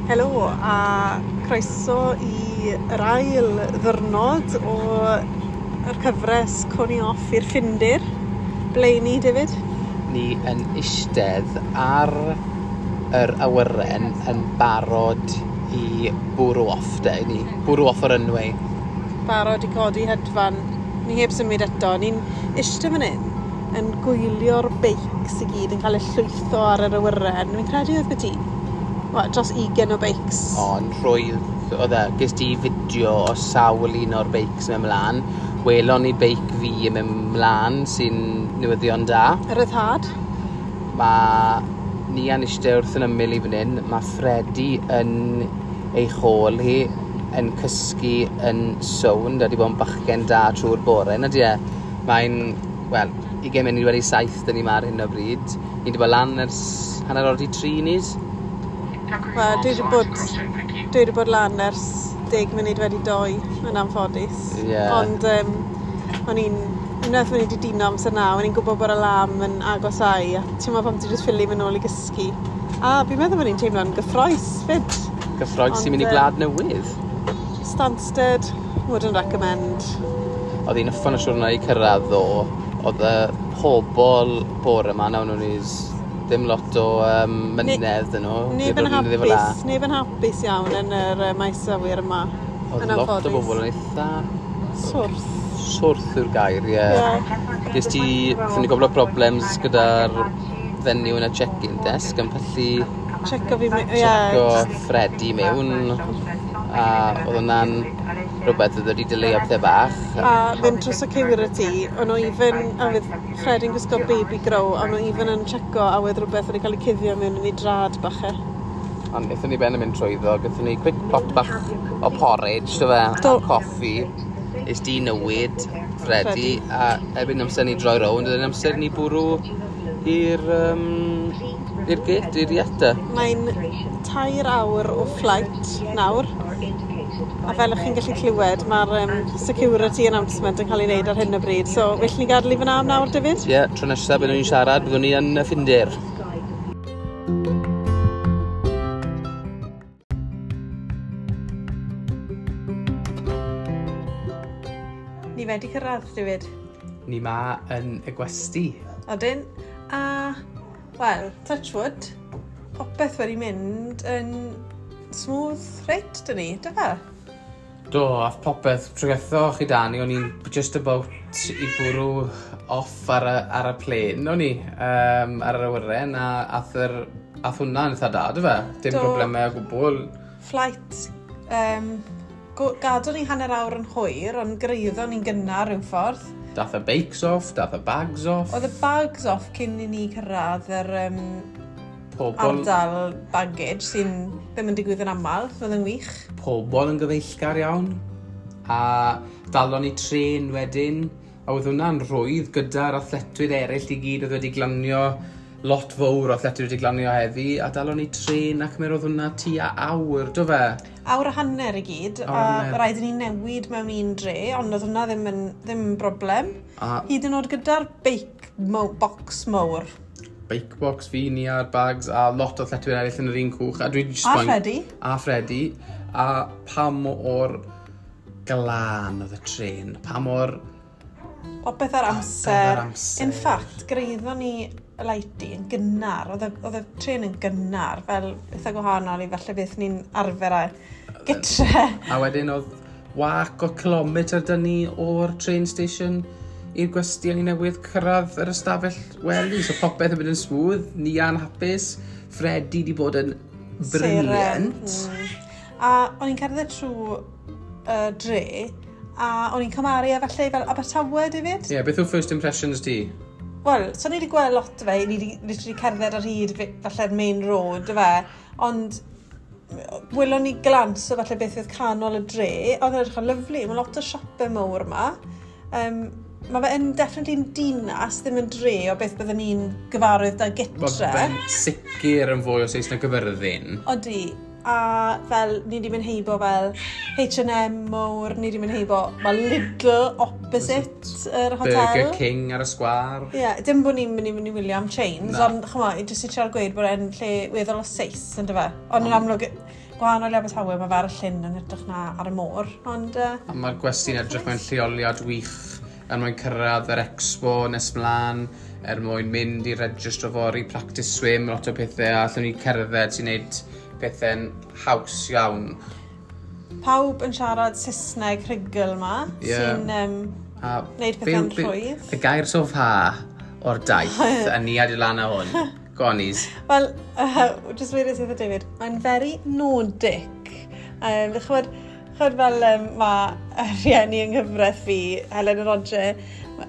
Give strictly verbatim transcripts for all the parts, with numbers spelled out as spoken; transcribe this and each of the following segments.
Helo a croeso i yr ail ddwrnod o'r cyfres Coni Off i'r Ffindir. Ble ni, David? Ni yn eistedd ar yr awyren yn barod i bwrw off, de. Ni bwrw off o'r runway. Barod i codi hedfan. Ni heb symud eto. Ni'n eistedd fan hyn yn gwylio'r beics i gyd yn cael eu llwytho ar yr awyren. Fi'n credu oedd byti well, dros ugain o beics. Ond rhwydd oedd e, ges di fideo o sawl un o'r beics yn mynd mlaen. Welon ni beic fi yn mynd mlaen sy'n newyddion da. Y ryddhad. Mae ni yn eistedd wrth yn ymyl i fan hyn. Mae Freddie yn ei chôl hi yn cysgu yn sownd a di bod yn bachgen da trwy'r bore. Na di e? Mae'n, wel, ugain munud wedi saith dyn ni ma ar hyn o bryd. Ni wedi bod lan ers hanner awr 'di tri nis. Wel, dwi wedi bod, dwi wedi bod lan ers deg munud wedi doi, yn anffodus. Ie. Ond um, o'n i'n, unwaith o'n i wedi dino amser naw, o'n i'n gwybod bod y alarm yn agosáu, a ti'n meddwl pam ti jyst ffili mynd nôl i gysgu. A fi'n meddwl bod ni'n teimlo'n gyffrous fyd. Gyffrous i mynd i Ond, yy, gwlad newydd. Stansted, wouldn't recommend. Oedd hi'n uffern o siwrna i cyrraedd ddo. Oedd y pobol bore yma, nawn nhw'n is ddim lot o um, mynedd dyn nhw. Neb yn Ddim ddim fel 'a. hapus, neb yn hapus iawn yn yr uh, maes awyr yma. Oedd yn lot o anffodus. bobl yn eitha Swrth. swrth yw'r gair, ie. Ie. Ges ti, wnaethon ni gwbl o problems gyda'r fenyw yn y check-in desk yn pallu Checo fi, ie. checo Freddie mewn a oedd hwnna'n rhywbeth oedd wedi delay-o pethau bach. A fynd trwy security, o'n nhw even, a fydd Freddie'n gwisgo baby grow, a o'n nhw even yn checo a wedd rhywbeth wedi cael ei cuddio mewn yn ei drad bach e. Ond wnaethon ni ben yn mynd trwyddo, gaethon ni quick pot bach o porridge, do fe, Do. a coffi. Is di newid, Freddie, a erbyn amser ni droi rownd, oedd yn amser ni bwrw i'r um, i'r gate, i'r iata. Mae'n tair awr o flight nawr, a fel ych chi'n gallu clywed, mae'r um, security announcement yn cael ei wneud ar hyn o bryd. So, well ni gadael i fyna am nawr, David? Ie, yeah, tro nesaf byddwn ni'n siarad, byddwn ni yn y Ffindir. Ni wedi cyrraedd, David. Ni ma yn y gwesty. Odyn. A, wel, touch wood, popeth wedi mynd yn smooth reit, dyn ni, dy fe? Do, a popeth trwygetho chi Dani, o'n i'n just about i bwrw off ar y, ar y plane, o'n i, um, ar yr awyren, a ath, yr, ath hwnna'n eitha da, dy fe? Dim Do. problemau o gwbl. Flight, um, gadw ni hanner awr yn hwyr, ond gyrhaeddon ni'n gynnar rhyw ffordd. Dath y bikes off, dath y bags off. Oedd y bags off cyn i ni cyrraedd yr um, Pobl, ardal baggage sy'n ddim yn digwydd yn aml, oedd yn wych. Pobl yn gyfeillgar iawn. A dalon ni tren wedyn, a oedd hwnna'n rhwydd gyda'r athletwyr eraill i gyd oedd wedi glanio, lot fawr o athletwyr wedi glanio heddi, a dalon ni tren ac mi roedd hwnna tua awr, do fe? Awr a hanner i gyd, Awr a a hanner. rhaid i ni newid mewn un dre, ond oedd hwnna ddim yn, ddim yn broblem. A Hyd yn oed gyda'r beic mo box mowr. bike box fi, ni a'r bags, a lot o athletwyr eraill yn yr un cwch. A dwi jyst A moyn- Freddie. A Freddie. A pa mor glân oedd y tren. Pa mor Popeth ar amser. ar amser. In fact, gyrhaeddon ni y Lahti yn gynnar. Oedd y, oedd y tren yn gynnar, fel eitha gwahanol i falle beth ni'n arfer â gytre. A wedyn oedd wac o kilometr dyn ni o'r train station i'r gwesty o'n i newydd cyrraedd yr ystafell wely. So popeth yn mynd yn smooth, Nia'n hapus, Freddie di bod yn brilliant. Mm. A o'n i'n cerdded trwy uh, dre, a o'n i'n cymharu e falle fel Abertawe, David. Ie, yeah, beth yw first impressions di? Wel, so ni wedi gweld lot o fe, ni wedi literally cerdded ar hyd fe- falle'r main road, y fe, ond welon ni glance o falle beth oedd canol y dre, oedd yn edrych yn lyfli, mae lot o siopau mawr yma. Um, mae fe yn definitely yn dinas, ddim yn dre o beth byddwn ni'n gyfarwydd da Mae gytre. fe'n sicr yn fwy o Saesneg Gyfyrddin. Odi, a fel ni wedi mynd heibo fel H and M mowr, ni wedi mynd heibo, mae Lidl opposite yr hotel. Burger King ar y sgwar. Ie, yeah, dim bod ni'n mynd i mynd i wylio am chains, Na. ond ch'mo, i jyst i trial gweud bod e'n lle weddol o seis, yn dyfe? Ond yn amlwg, Gwahanol i Abertawe, mae fe ar y llyn yn edrych na ar y môr, ond... Uh, a mae'r gwesty'n edrych mewn lleoliad wych er mwyn cyrraedd yr expo nes mlaen, er mwyn mynd i registro fory, practice swim, lot o pethau, a allwn ni cerdded sy'n neud pethau'n haws iawn. Pawb yn siarad Saesneg rhugl ma, yeah. sy'n um, neud pethau'n rhwydd. Y gair so far o'r daith, a ni adi lan â hwn. Go on, Is. Wel, uh, just wedes i wrtho David, mae'n very Nordic. Um, chymod, chymod fel um, mae rhieni yng nghyfraith fi, Helen a Roger,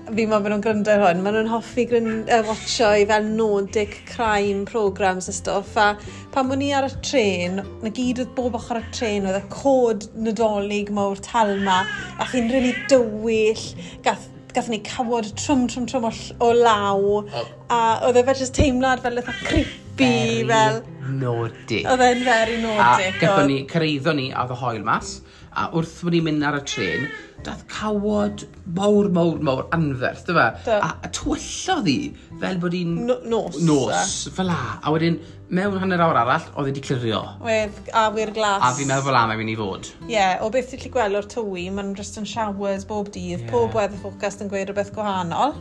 fi moyn bod nhw'n gryndo ar hwn, maen nhw'n hoffi uh, watcho i fel Nordic crime programs a stwff, a pan o'n i ar y tren, na gyd oedd bob ochr y tren, oedd y cod Nadolig mawr tal ma, a chi'n really dywyll, gath gathon ni cawod trwm, trwm, trwm o, o law, oh. A oedd e fel just teimlad fel eitha creepy, very fel... Nordic. Oedd e'n very Nordic. A gathon ni, cyrraeddon ni, a oedd y haul mas, a wrth bod ni'n mynd ar y tren, dath cawod mawr, mawr, mawr anferth, dy fe? A, a twyllodd hi, fel bod hi'n... No, nos. Nos, fel la. A wedyn, mewn hanner awr arall, oedd hi wedi clirio. Wedd awyr glas. A fi'n meddwl fel am mae'n mynd i fod. Ie, yeah, o beth ti'n gallu gweld o'r tywi, ma'n just yn showers bob dydd, yeah. Pob weather forecast yn gweud rhywbeth gwahanol.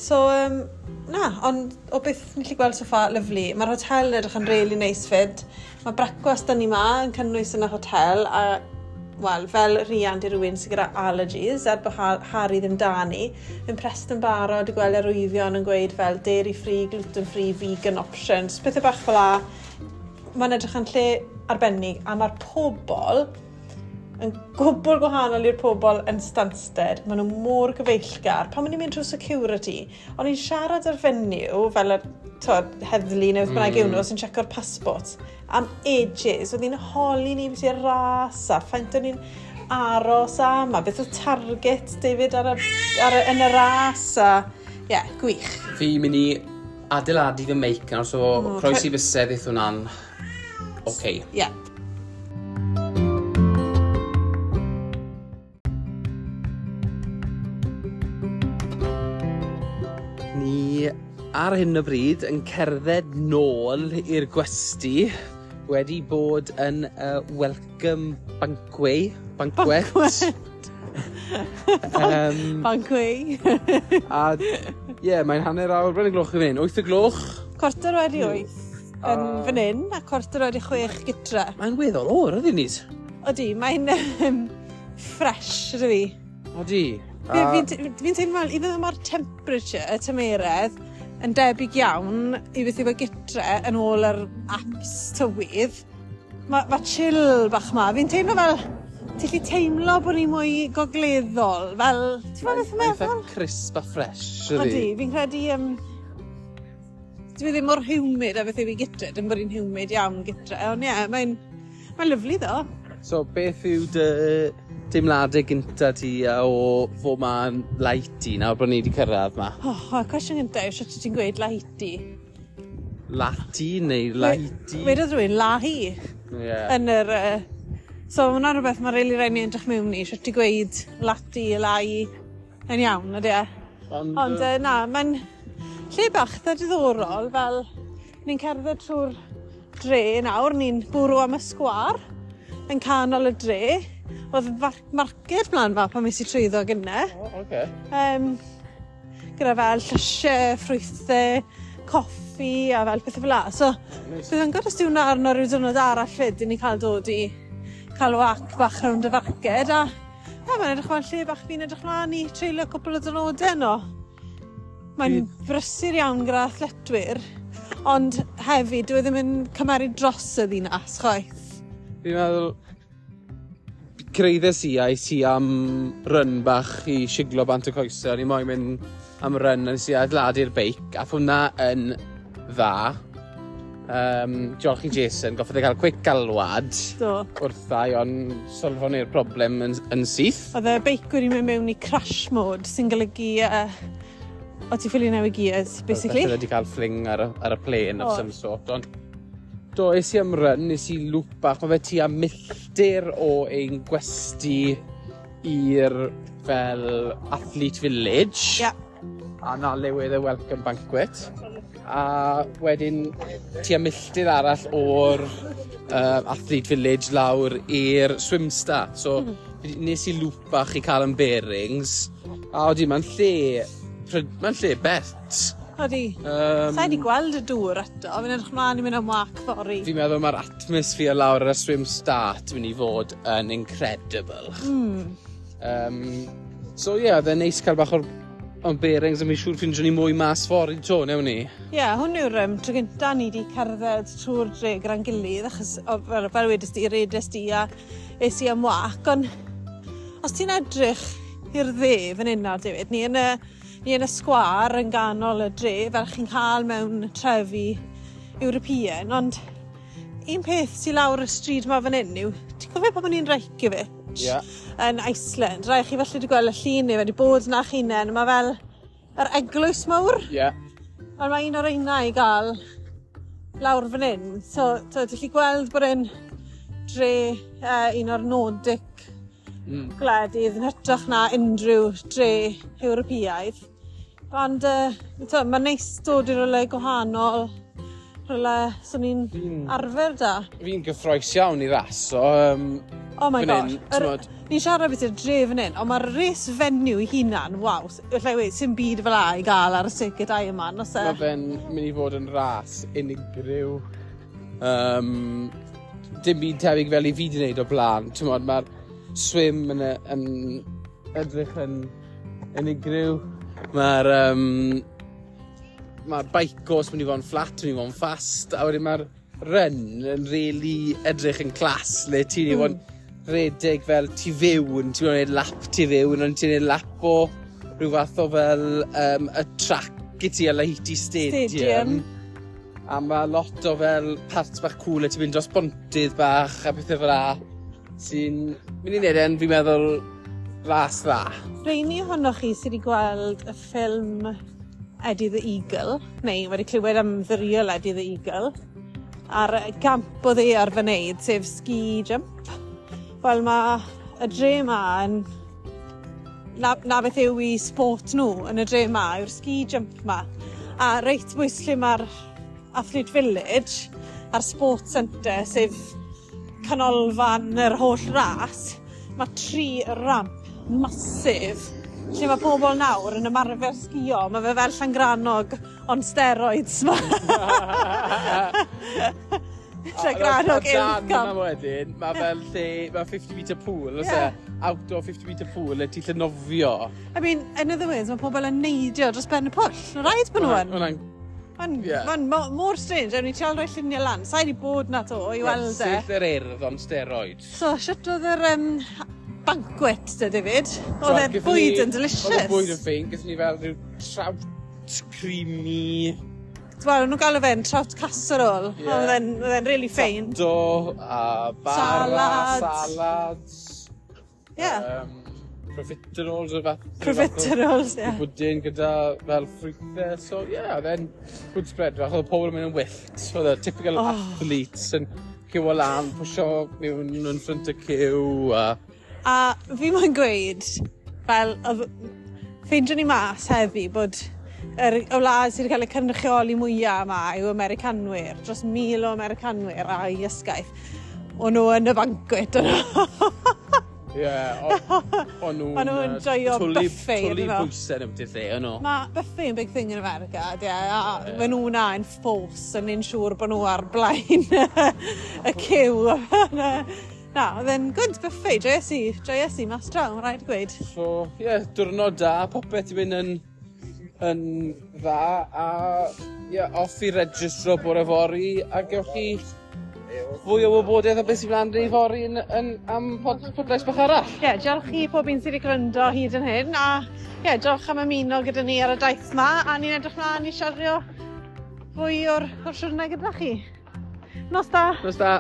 So, um, na, ond o beth ni'n gallu gweld so far, lovely. Mae'r hotel yn edrych yn really nice fyd. Mae brecwast da ni ma yn cynnwys yn y hotel, a wel, fel riant i rywun sydd gyda allergies, er bod Harry ddim da ni, impressed yn barod i gweld arwyddion yn gweud fel dairy free, gluten free, vegan options, pethau bach fel la. Mae'n edrych yn lle arbennig, a mae'r pobol yn gwbl gwahanol i'r pobol yn Stansted. Maen nhw mor gyfeillgar. Pan maen nhw'n mynd trwy security, o'n i'n siarad ar fenyw, fel y twod, heddlu neu beth bynnag yw nhw, sy'n checo'r passport, am ages. Oedd hi'n holi ni beth i'r ras a faint o'n i'n aros am, a beth oedd target David ar y, ar y, yn y ras, a ie, yeah, gwych. Fi'n mynd i adeiladu fy meic nawr, so mm, croesi bysedd eith hwnna'n oce. Ie. Yeah. Ni ar hyn o bryd yn cerdded nôl i'r gwesty, wedi bod yn uh, welcome banquet. Banquet. Banquet. um, banquet. A ie, yeah, mae'n hanner awr, bryn y gloch i fan hyn. Wyth y gloch. Cwarter wedi wyth yn uh, fan hyn, a cwarter wedi chwech gytre. Mae'n weddol oer, ydy ni? Odi, mae'n um, fresh, ydw i. Odi. Fi'n fi, fi teimlo, even though mae'r temperature, y tymeredd, yn debyg iawn i beth yw e gytre yn ôl yr apps tywydd, mae ma chill bach ma. Fi'n teimlo fel, ti'n gallu teimlo bod ni'n mwy gogleddol, fel, ti'n meddwl beth yn meddwl? Mae'n crisp a fresh, ydy. Odi, fi'n credu, um, dwi ddim mor humid a beth yw i gytre, dim bod hi'n humid iawn gytre, ond ie, yeah, mae'n mae'n lyfli ddo. So, beth yw dy deimladau gynta ti o fod ma'n Lahti nawr bod ni wedi cyrraedd ma? Oh, y cwestiwn gynta yw sut ti'n gweud Lahti? Lahti neu Lahti? Wedodd rhywun Lahi. Yeah. Yn yr... Uh, so, ma' hwnna'n rhywbeth mae'n rili raid ni edrych mewn i, sut ti'n gweud Lahti, Lai, yn iawn, ydy e? Ond, Ond uh, na, mae'n lle bach eitha diddorol, fel ni'n cerdded trwy'r dre nawr, ni'n bwrw am y sgwâr yn canol y dre. Oedd market mlaen fa pan mes i trwyddo gynne. Oh, okay. Um, gyda fel llysiau, ffrwythau, coffi a fel pethau fel la. So, nice. Bydd yn gwybod os di hwnna arno rhyw diwrnod arall fyd i ni cael dod i cael wac bach rownd y farced. A yeah, mae'n edrych fel lle bach fi'n edrych mlaen i treulio cwpl o diwrnodau yno. Mae'n brysur iawn gyda athletwyr, ond hefyd dyw e ddim yn cymeru dros y ddinas chwaith. Fi'n meddwl, cyrhaeddes i a es i am run bach i siglo bant y coesau. O'n i moyn mynd am run, a nes i adeiladu'r beic, a hwnna yn dda. Um, diolch i Jason, goffodd e cael quick galwad Do. wrtha i, ond solfon ni'r broblem yn, yn syth. Oedd y beic wedi mynd mewn i crash mode, sy'n golygu uh, o ti ffili newid gears, basically. Oedd wedi cael fling ar y, ar y plane of oh. some sort, ond do, es i am run, nes i loop bach, mae fe tua milltir o ein gwesty i'r fel athlete village. Yeah. A na le wedd y welcome banquet. A wedyn tua milltir arall o'r uh, Athlete Village lawr i'r swim start. So mm. nes i loop bach i cael yn bearings. A odi, mae'n lle, mae'n lle bert. Odi. Um, Sa i wedi gweld y dŵr eto, fi'n edrych mlaen i mynd am wac fory. Fi'n meddwl mae'r atmosphere lawr ar y swim start mynd i fod yn incredible. Mm. Um, so ie, yeah, oedd e'n neis cael bach o'r o'n bearings, a mi'n siŵr ffindio ni mwy mas fory 'to, newn ni? Ie, yeah, hwn yw'r um, tro gynta ni wedi cerdded trwy'r dre gyda'n gilydd, achos o, fel, fel wedys di, redes di a es i am wac, ond os ti'n edrych i'r dde fan hyn nawr, David, ni yn y, ni yn y sgwâr yn ganol y dre, fel chi'n cael mewn trefi European, ond un peth sy'n lawr y stryd ma fan hyn yw, ti'n cofio pan o'n i'n Reykjavik? Ie. Yn Iceland, rai chi falle wedi gweld y llun neu wedi bod na chi'nen, mae fel yr eglwys mawr. Ie. Yeah. Ond mae un o'r reina i gael lawr fan hyn. So, so ti'n gallu gweld bod e'n dre uh, un o'r Nordic mm. gwledydd yn hytrach na unrhyw dre Ewropeaidd. Ond uh, mae'n neis dod i rywle gwahanol, rywle swn i'n Fi'n- arfer da. Fi'n gyffroes iawn i ras, so... Um, Oh my fan god. hyn, Yr- t'mod- Ni'n siarad beth yw'r dre fan hyn, ond mae'r race venue i hunan, waw, allai weud, sy'n byd fel 'a i gael ar y circuit Ironman, os e? Mae fe'n mynd i fod yn ras unigryw. Um, dim byd tebyg fel i fi wedi gwneud o blaen. T'mod, mae'r swim yn, y- yn edrych yn unigryw. Mae'r um, mae'r bike course mynd i fod yn flat, mynd i fod yn fast, a wedyn mae'r run yn really edrych yn class, le ti'n mm. i fod yn redeg fel tu fewn, ti'n gwneud lap tu fewn, ond ti'n gwneud lap o rhyw fath o fel um, y track i ti a Lahiti Stadium. Stadium. A mae lot o fel parts bach cool le ti'n mynd dros bontydd bach a pethau fel 'a sy'n mynd i wneud e'n, fi'n meddwl, ras dda. Rheini ohonoch chi sydd wedi gweld y ffilm Eddie the Eagle, neu wedi clywed am The Real Eddie the Eagle, a'r gamp oedd e ar fy wneud, sef ski jump. Wel, mae y dre ma yn... Na, na beth yw i sport nhw yn y dre ma, yw'r ski jump ma. A reit bwys lle mae'r Athlete Village a'r Sport Centre, sef canolfan yr holl ras, mae tri ramp massive lle mae pobl nawr yn ymarfer sgio. Mae fe fel Llangrannog on steroids ma. Llangrannog A dan Uwchgam. yna wedyn, mae fel lle, mae fifty metre pool, oes Ie. e? Outdoor fifty metre pool, le ti'n lle nofio. I mean, in other words, mae pobl yn neidio dros ben y pwll. Mae'n rhaid bod nhw yn. Hwnna'n Mae'n Ie. ma mor strange, ewn ni trial rhoi lluniau lan. Sa'i wedi bod na to i weld e. Syth yr Urdd on steroids. So, shwt oedd yr um, banquet 'de, David? Oedd e'r Gaethon bwyd ni- yn delicious. Oedd y bwyd yn ffein, gaethon ni fel rhyw trout creamy. Wel, o'n nhw'n galw fe'n trout casserole. Ie. Oedd e'n oedd e'n really fine. Do, a bara, Salad. salads. Ie. Um, profiteroles, o fath. Profiteroles, ie. Pwdin gyda fel ffrwythau. So, ie, yeah, oedd e'n good spread fach. Oedd pobl yn mynd yn wyllt. Oedd y typical Oh. athletes yn queuo lan, pwsio mewn yn front y queue. A... A fi moyn gweud, fel, oedd ffeindio ni mas heddi bod yr, y wlad sydd wedi cael ei cynrychioli mwyaf yma yw Americanwyr, dros mil o Americanwyr a'i ysgaeth. O'n nhw yn y banquet, o'n nhw. Ie, o'n nhw'n... O'n nhw'n yy, joio twlu- buffet, Twlu ydyn nhw? bwysau yn ymwneud lle, o'n nhw. Mae buffet yn big thing in America, ie, a yeah. Maen nhw na yn force yn un siŵr bod nhw ar blaen y queue. Na, oedd e'n good buffet, joies i, joies i mas draw, mae'n rhaid gweud. So, ie, yeah, diwrnod da, popeth i fynd yn, yn dda, a ie, yeah, off i registro bore fory, a gewch chi fwy o wybodaeth o beth sy'n mlaen i fory yn, yn, am pod, podlais bach arall. Ie, yeah, diolch i pob un sydd wedi gwrando hyd yn hyn, a ie, yeah, diolch am ymuno gyda ni ar y daith yma, a ni'n edrych mlaen i siario fwy o'r, o'r siwrne gyda chi. Nos da! Nos da.